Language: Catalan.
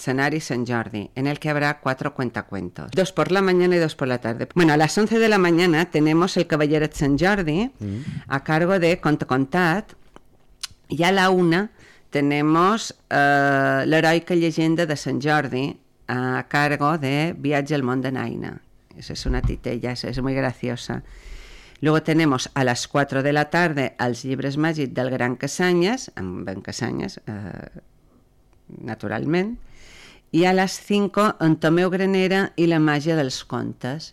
escenario San Jordi, en el que habrá 4 cuentacuentos, 2 por la mañana y 2 por la tarde. Bueno, a las 11 de la mañana tenemos el Caballeret San Jordi a cargo de Conte Contat, y a la 1 tenemos l'heroica llegenda de Sant Jordi a cargo de Viatge al món de Naina. Esa es una titella, esa es muy graciosa. Luego tenemos a las 4 de la tarde Els llibres màgics del Gran Casanyes, amb en Casanyes, naturalment, i a les 5 en Tomeu Granera i la màgia dels contes,